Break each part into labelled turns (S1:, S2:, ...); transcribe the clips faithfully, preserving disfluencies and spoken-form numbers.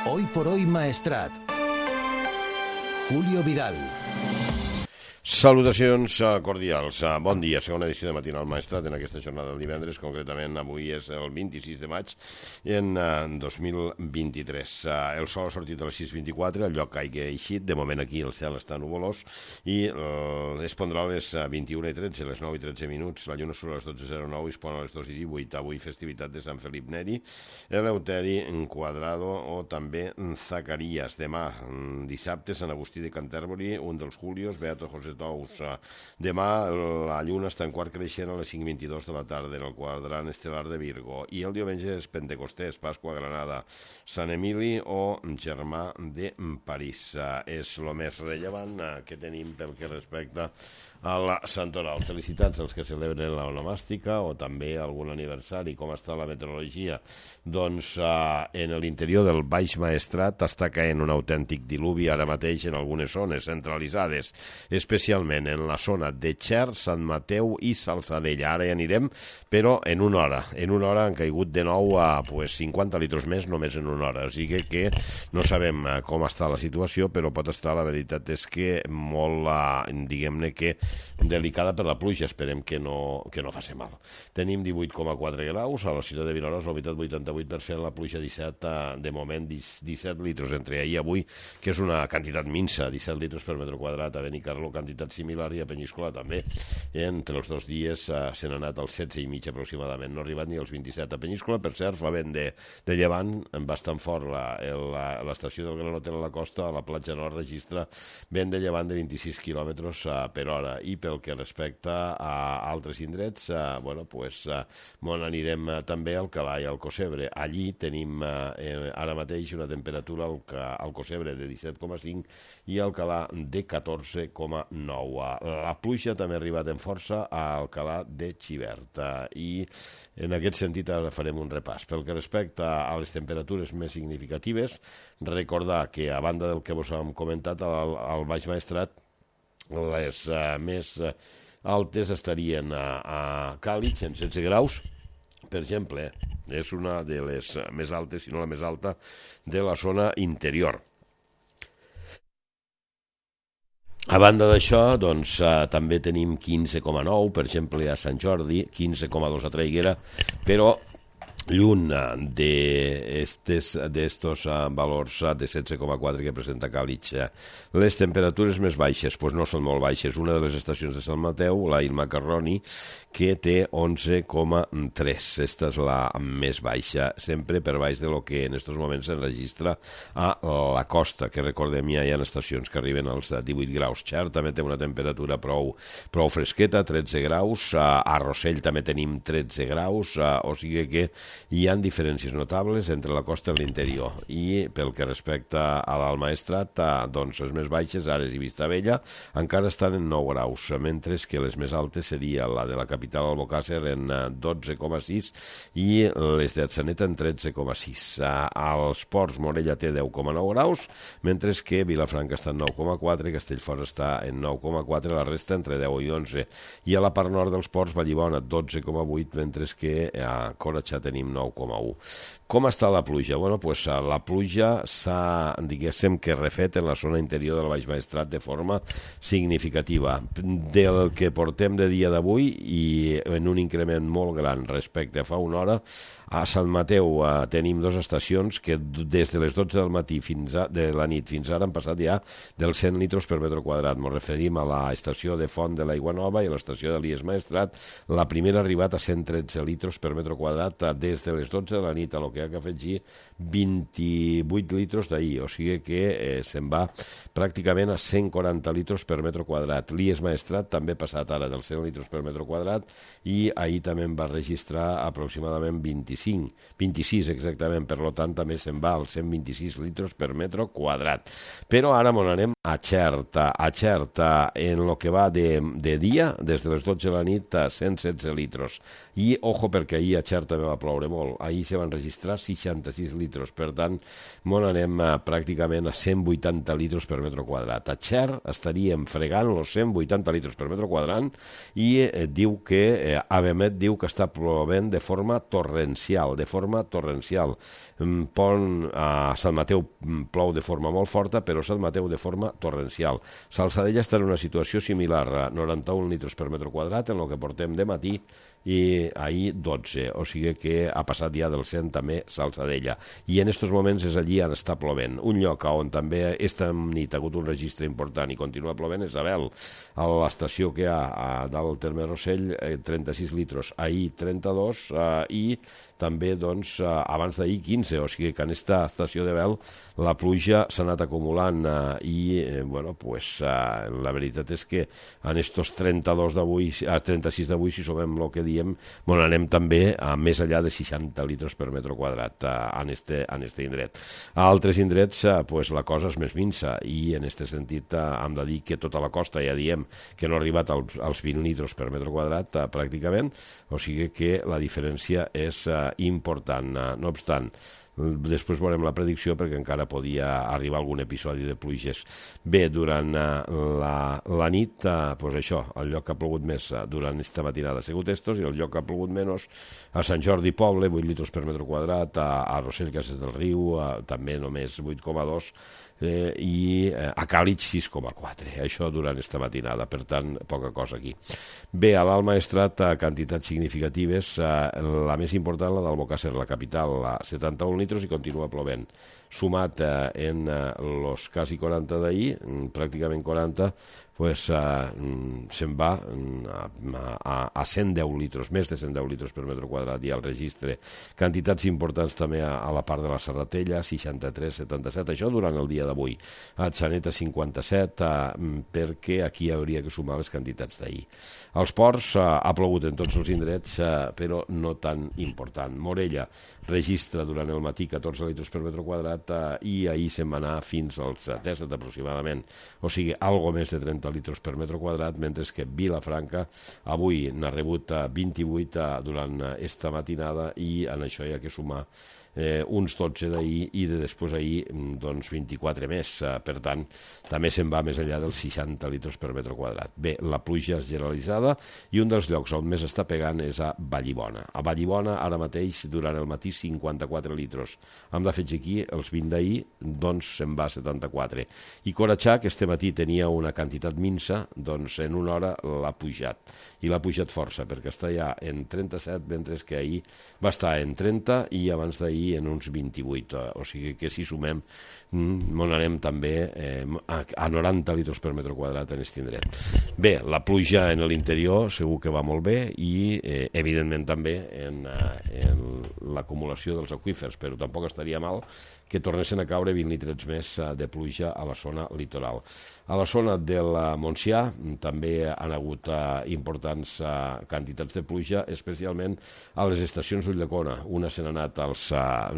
S1: Hoy por hoy Maestrat. Julio Vidal.
S2: Salutacions cordials. Bon dia, segona edició de Matinal Maestrat en aquesta jornada del divendres. Concretament avui és el vint-i-sis de maig en dos mil vint-i-tres. El sol ha sortit a les sis vint-i-quatre, el lloc caigui eixit. De moment aquí el cel està nuvolós i es pondrà a les vint-i-una i tretze, a les nou i tretze minuts. La lluna surt a les dotze zero nou i es pon a les dos i divuit. Avui festivitat de Sant Felip Neri, Eleuteri, Quadrado o també Zacarías. Demà, dissabte, Sant Agustí de Canterbury, un dels Julios, Beato José Tous. Demà la lluna està en quart creixent a les cinc vint-i-dos de la tarda en el quadrant estel·lar de Virgo, i el diumenge és Pentecostés, Pasqua a Granada, Sant Emili o Germà de París. És el més rellevant que tenim pel que respecta a la Santoral. Felicitats als que celebren l'onomàstica o també algun aniversari. Com està la meteorologia? Doncs en l'interior del Baix Maestrat està caent un autèntic diluvi ara mateix en algunes zones centralitzades, especialment en la zona de Xer, Sant Mateu i Salzadella. Ara hi anirem, però en una hora. En una hora han caigut de nou a pues, cinquanta litres més només en una hora. O sigui que no sabem com està la situació, però pot estar, la veritat és que molt, diguem-ne que delicada per la pluja. Esperem que no, que no faci mal. Tenim divuit coma quatre graus, a la ciutat de Vinaròs la humitat vuitanta-vuit per cent, la pluja disset, de moment disset litres entre ahir i avui, que és una quantitat minsa, disset litres per metre quadrat. A Benicarló quantitat similar i a Penyíscola també. Entre els dos dies uh, se n'ha anat als setze i mig aproximadament, no ha arribat ni als vint-i-set. A Penyíscola, per cert, fa vent de, de llevant bastant fort. L'estació del Gran Hotel a la costa, a la platja nord, registra vent de llevant de vint-i-sis quilòmetres uh, per hora. I pel que respecta a altres indrets, uh, bueno, pues, uh, on anirem uh, també al Alcalà i al Cosebre. Allí tenim uh, eh, ara mateix una temperatura al, al Cosebre de disset coma cinc i al Alcalà de catorze coma nou. La pluja també ha arribat en força a Alcalà de Xivert i en aquest sentit ara farem un repàs. Pel que respecta a les temperatures més significatives, recordar que a banda del que vos hem comentat al, al Baix Maestrat, les uh, més uh, altes estarien a, a Càlig en setze graus, per exemple, és una de les més altes, si no la més alta, de la zona interior. A banda d'això, doncs, eh, també tenim quinze coma nou, per exemple, a Sant Jordi, quinze coma dos a Traiguera, però lluny d'estos valors de setze coma quatre que presenta Càlig. Les temperatures més baixes pues no són molt baixes. Una de les estacions de Sant Mateu, la Il Macarroni, que té onze coma tres. Esta és la més baixa, sempre per baix de lo que en aquests moments s'enregistra a la costa, que recordem ja hi ha estacions que arriben als divuit graus. Xer també té una temperatura prou, prou fresqueta, tretze graus. A Rossell també tenim tretze graus, o sigui que hi ha diferències notables entre la costa i l'interior. I pel que respecta a l'Alt Maestrat, doncs les més baixes, Ares i Vistabella, encara estan en nou graus, mentre que les més altes seria la de la capital Albocàsser en dotze coma sis i les d'Atzeneta en tretze coma sis. Als Ports, Morella té deu coma nou graus, mentre que Vilafranca està en nou coma quatre, Castellfort està en nou coma quatre, la resta entre deu i onze. I a la part nord dels Ports, Vallibona, dotze coma vuit, mentre que a Corretja tenim nou coma u. Com està la pluja? Bueno, pues, la pluja s'ha, diguéssim, que refet en la zona interior del Baix Maestrat de forma significativa. Del que portem de dia d'avui i en un increment molt gran respecte a fa una hora, a Sant Mateu eh, tenim dues estacions que des de les dotze del matí fins a, de la nit fins ara han passat ja dels cent litres per metre quadrat. Ens referim a l'estació de Font de l'Aigua Nova i a l'estació de l'Ies Maestrat. La primera ha arribat a cent tretze litres per metre quadrat des de les dotze de la nit, a lo que ha que afegir vint-i-vuit litres d'ahir, o sigui que eh, se'n va pràcticament a cent quaranta litres per metre quadrat. L'Ies Maestrat també ha passat ara dels cent litres per metre quadrat i ahir també en va registrar aproximadament vint-i-cinc, vint-i-sis exactament, per tant també se'n va als cent vint-i-sis litres per metre quadrat. Però ara m'on anem a Xert, a Xert en el que va de, de dia, des de les dotze de la nit a cent setze litres. I, ojo, perquè ahir a Xert també va ploure molt. Ahir se van registrar filtrar seixanta-sis litres. Per tant, on anem a, pràcticament a cent vuitanta litres per metre quadrat. A Xer estaríem fregant els cent vuitanta litres per metre quadrat i eh, diu que, eh, Avemet diu que està plovent de forma torrencial, de forma torrencial. Pont a Sant Mateu plou de forma molt forta, però Sant Mateu de forma torrencial. Salzadella està en una situació similar, a noranta-un litres per metre quadrat en el que portem de matí, i ahir dotze, o sigui que ha passat ja del cent també Salzadella, i en aquests moments és allí on està plovent. Un lloc on també esta nit ha hagut un registre important i continua plovent és Abel, a l'estació que hi ha a dalt del terme Rossell, trenta-sis litres, ahir trenta-dos, eh, i també doncs, eh, abans d'ahir quinze, o sigui que en aquesta estació de Bel la pluja s'ha anat acumulant eh, i eh, bueno, pues, eh, la veritat és que en estos trenta-dos d'avui, a trenta-sis d'avui, si sumem el que diem, bueno, anem també a més enllà de seixanta litres per metre quadrat eh, en, este, en este indret. A altres indrets eh, pues, la cosa és més minsa i en aquest sentit eh, hem de dir que tota la costa ja diem que no ha arribat als, als vint litres per metre quadrat eh, pràcticament, o sigui que la diferència és eh, important. Eh, no obstant, després veurem la predicció perquè encara podia arribar algun episodi de pluges. Bé, durant uh, la, la nit, uh, pues això, el lloc que ha plogut més uh, durant aquesta matinada ha sigut estos, i el lloc que ha plogut menys a Sant Jordi Poble, vuit litres per metre quadrat, a, a Rossell Cases del Riu, uh, també només vuit coma dos, eh, i eh, a Càlig sis coma quatre, això durant aquesta matinada, per tant, poca cosa aquí. Bé, a l'Alt Maestrat, eh, quantitats significatives, eh, la més important, la d'Albocàsser, la capital, a setanta-un litres i continua plovent. Sumat eh, en els eh, quasi quaranta d'ahir, pràcticament quaranta, pues, eh, se'n va a, a cent deu litres, més de cent deu litres per metre quadrat i al registre. Quantitats importants també a, a la part de la Serratella, seixanta-tres, setanta-set, això durant el dia d'avui. A Xaneta, cinquanta-set, eh, perquè aquí hauria que sumar les quantitats d'ahir. Als ports eh, ha plogut en tots els indrets, eh, però no tan important. Morella registra durant el matí catorze litres per metre quadrat eh, i ahir se'n va anar fins als disset aproximadament, o sigui, algo més de trenta litres per metre quadrat, mentre que Vilafranca avui n'ha rebut vint-i-vuit durant esta matinada i en això hi ha que sumar eh, uns dotze d'ahir i de després ahir doncs vint-i-quatre més, per tant també se'n va més enllà dels seixanta litres per metre quadrat. Bé, la pluja és generalitzada i un dels llocs on més està pegant és a Vallibona. A Vallibona ara mateix durant el matí cinquanta-quatre litres, hem d'afegir aquí els vint d'ahir, doncs se'n va a setanta-quatre, i Coratxà, que este matí tenia una quantitat minsa, doncs en una hora l'ha pujat, i l'ha pujat força, perquè està ja en trenta-set, mentre que ahir va estar en trenta i abans d'ahir en uns vint-i-vuit, o sigui que si sumem on anem també eh, a noranta litres per metre quadrat en aquest indret. Bé, la pluja en l'interior segur que va molt bé i eh, evidentment també en, en l'acumulació dels aqüífers, però tampoc estaria mal que tornessin a caure vint litres més de pluja a la zona litoral. A la zona del Montsià també han hagut uh, importants uh, quantitats de pluja, especialment a les estacions d'Ulldecona. Una se n'ha anat als uh,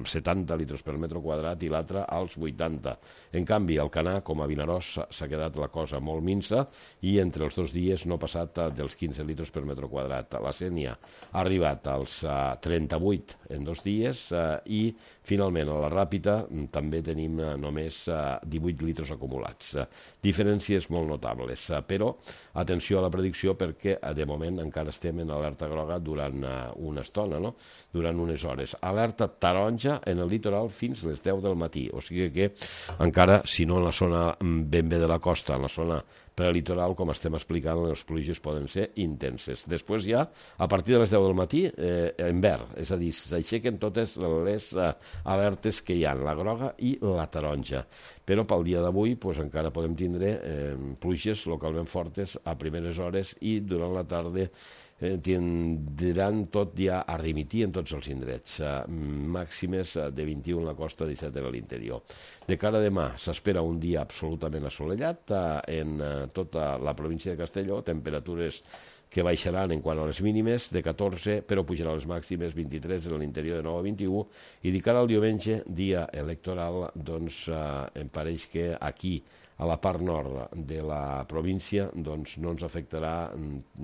S2: setanta litres per metre quadrat i l'altra als vuitanta. En canvi, al Canà, com a Vinaròs, s'ha quedat la cosa molt minsa i entre els dos dies no ha passat uh, dels quinze litres per metre quadrat. La Sénia ha arribat als uh, trenta-vuit en dos dies uh, i finalment a la Ràpita també tenim uh, només uh, divuit litres acumulats. Uh, diferències molt notables, uh, però atenció a la predicció perquè uh, de moment encara estem en alerta groga durant uh, una estona, no? Durant unes hores. Alerta taronja en el litoral fins les deu del matí, o sigui que encara, si no en la zona ben bé de la costa, en la zona prelitoral, com estem explicant, les pluges poden ser intenses. Després ja, a partir de les deu del matí, eh, en verd, és a dir, s'aixequen totes les eh, alertes que hi ha, la groga i la taronja. Però pel dia d'avui pues, encara podem tindre eh, pluges localment fortes a primeres hores i durant la tarda eh, tindran tot ja a remitir en tots els indrets, eh, màximes de vint-i-u en la costa, disset en l'interior. De cara a demà s'espera un dia absolutament assolellat eh, en eh, tota la província de Castelló, temperatures que baixaran en quant a les mínimes de catorze, però pujaran les màximes vint-i-tres en l'interior de nou a vint-i-u, i de cara al diumenge, dia electoral, doncs eh, em pareix que aquí a la part nord de la província doncs no ens afectarà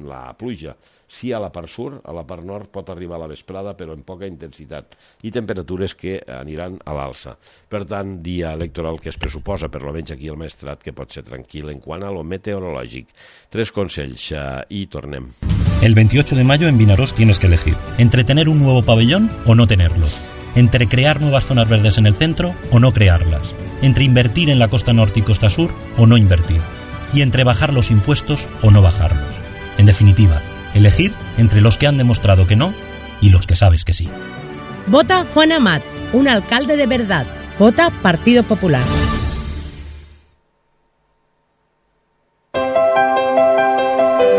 S2: la pluja. Sí a la part sud, a la part nord pot arribar a la vesprada, però amb poca intensitat, i temperatures que aniran a l'alça. Per tant, dia electoral que es pressuposa, per almenys aquí al Maestrat, que pot ser tranquil en quant a lo meteorològic. Tres consells eh, i tornem.
S1: El veintiocho de mayo en Vinaròs tienes que elegir entre tener un nuevo pabellón o no tenerlo, entre crear nuevas zonas verdes en el centro o no crearlas, entre invertir en la costa norte y costa sur o no invertir, y entre bajar los impuestos o no bajarlos. En definitiva, elegir entre los que han demostrado que no y los que sabes que sí.
S3: Vota Juan Amat, un alcalde de verdad. Vota Partido Popular.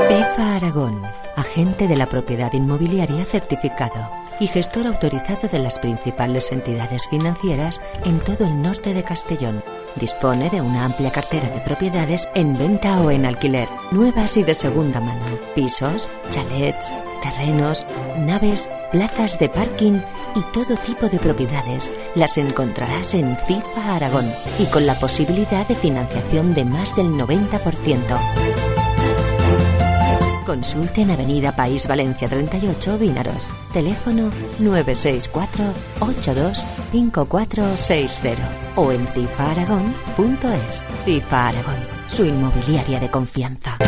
S4: FIFA Aragón, agente de la propiedad inmobiliaria certificado y gestor autorizado de las principales entidades financieras en todo el norte de Castellón. Dispone de una amplia cartera de propiedades en venta o en alquiler, nuevas y de segunda mano, pisos, chalets, terrenos, naves, plazas de parking y todo tipo de propiedades. Las encontrarás en FIFA Aragón y con la posibilidad de financiación de más del noventa por ciento. Consulte en Avenida País Valencia treinta y ocho, Vinaròs. Teléfono nueve seis cuatro ocho dos cinco cuatro seis cero o en cifa aragón punto es. FIFA Aragón, su inmobiliaria de confianza.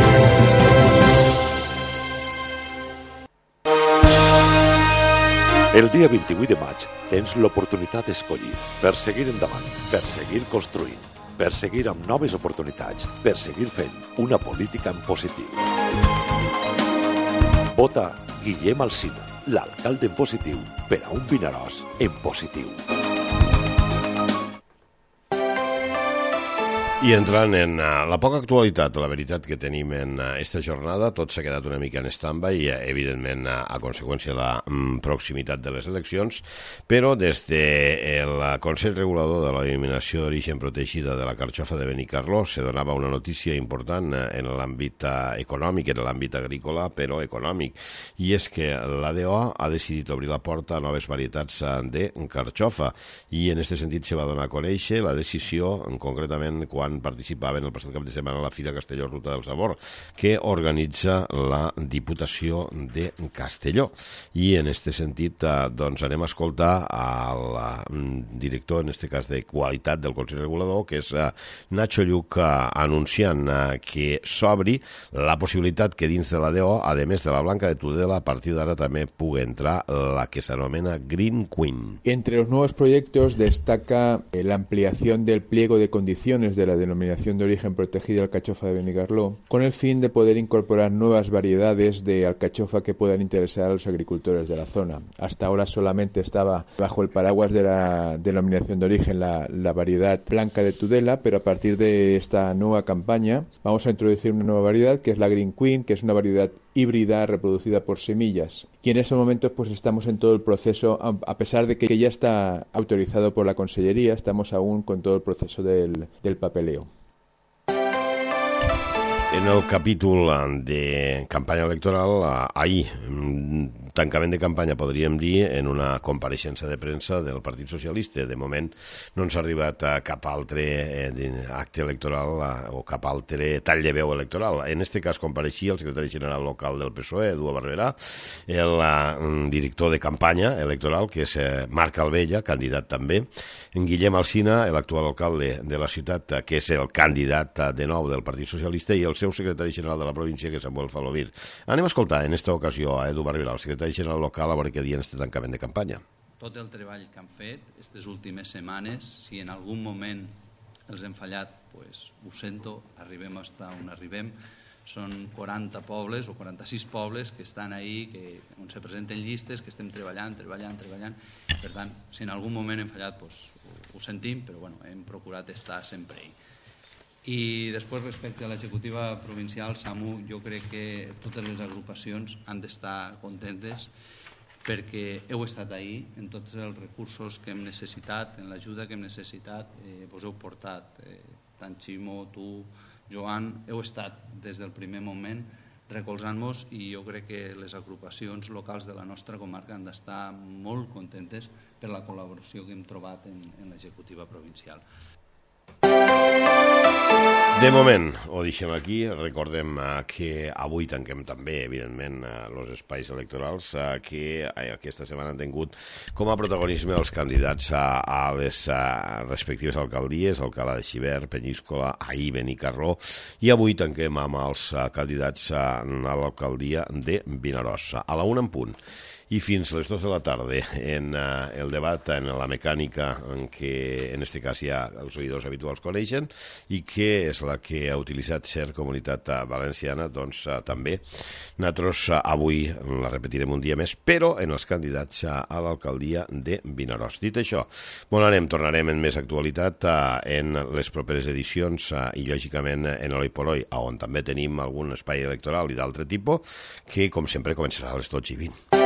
S5: El dia vint-i-vuit de maig tens l'oportunitat d'escollir per seguir endavant, per seguir construint, per seguir amb noves oportunitats, per seguir fent una política en positiu. Vota Guillem Alsina, l'alcalde en positiu, per a un Vinaròs en positiu.
S2: I entrant en uh, la poca actualitat, la veritat que tenim en uh, esta jornada, tot s'ha quedat una mica en stand-by, uh, evidentment uh, a conseqüència de la um, proximitat de les eleccions, però des del de Consell Regulador de la Denominació d'Origen Protegida de la Carxofa de Benicarló se donava una notícia important uh, en l'àmbit uh, econòmic, en l'àmbit agrícola, però econòmic, i és que l'A D O ha decidit obrir la porta a noves varietats uh, de carxofa, i en aquest sentit se va donar a conèixer la decisió, concretament quan participaven el passat cap de setmana a la Fira Castelló Ruta del Sabor, que organitza la Diputació de Castelló. I en aquest sentit doncs anem a escoltar al director, en aquest cas de qualitat del Consell Regulador, que és Nacho Lluc, anunciant que s'obri la possibilitat que dins de la D O, a més de la blanca de Tudela, a partir d'ara també pugui entrar la que s'anomena Green Queen.
S6: Entre los nuevos proyectos destaca la ampliación del pliego de condiciones de la denominación de origen protegida alcachofa de Benicarló, con el fin de poder incorporar nuevas variedades de alcachofa que puedan interesar a los agricultores de la zona. Hasta ahora solamente estaba bajo el paraguas de la denominación de origen la, la variedad blanca de Tudela, pero a partir de esta nueva campaña vamos a introducir una nueva variedad que es la Green Queen, que es una variedad híbrida reproducida por semillas. Y en esos momentos pues estamos en todo el proceso, a pesar de que ya está autorizado por la Consellería, estamos aún con todo el proceso del, del papeleo.
S2: En el capítol de campanya electoral, ahir, tancament de campanya, podríem dir, en una compareixença de premsa del Partit Socialista. De moment no ens ha arribat cap altre acte electoral o cap altre tall de veu electoral. En aquest cas compareixia el secretari general local del P S O E, Edu Barberà, el director de campanya electoral, que és Marc Albella, candidat també, en Guillem Alsina, l'actual alcalde de la ciutat, que és el candidat de nou del Partit Socialista, i el seu secretari general de la província, que és Samuel Falovir. Anem a escoltar en aquesta ocasió a Edu Barberà, el secretari general local, a veure què diuen este tancament de campanya.
S7: Tot el treball que han fet aquestes últimes setmanes, si en algun moment els hem fallat, pues, ho sento, arribem hasta on arribem. Són quaranta pobles o quaranta-sis pobles que estan ahí, que, on se presenten llistes, que estem treballant, treballant, treballant. Per tant, si en algun moment hem fallat, pues, ho, ho sentim, però bueno, hem procurat estar sempre ahí. I després, respecte a l'executiva provincial, Samu, jo crec que totes les agrupacions han d'estar contentes perquè heu estat ahí en tots els recursos que hem necessitat, en l'ajuda que hem necessitat, eh, vos heu portat, eh, tant Ximo, tu, Joan, heu estat des del primer moment recolzant-nos, i jo crec que les agrupacions locals de la nostra comarca han d'estar molt contentes per la col·laboració que hem trobat en, en l'executiva provincial.
S2: De moment, ho deixem aquí. Recordem uh, que avui tanquem també, evidentment, els uh, espais electorals uh, que uh, aquesta setmana han tingut com a protagonisme els candidats uh, a les uh, respectives alcaldies, Alcalá de Xivert, Penyíscola, Ahir, Benicarló, i avui tanquem amb els uh, candidats uh, a l'alcaldia de Vinaròs. A la una en punt. I fins les dos de la tarda en uh, el debat en la mecànica en què en este cas ja els oïdors habituals coneixen i que és la que ha utilitzat Ser Comunitat Valenciana, doncs uh, també nosaltres uh, avui la repetirem un dia més, però en els candidats uh, a l'alcaldia de Vinaròs. Dit això, bon anem, tornarem en més actualitat uh, en les properes edicions uh, i lògicament en l'Oi por Hoy, on també tenim algun espai electoral i d'altre tipus que com sempre començarà a les dotze i vint.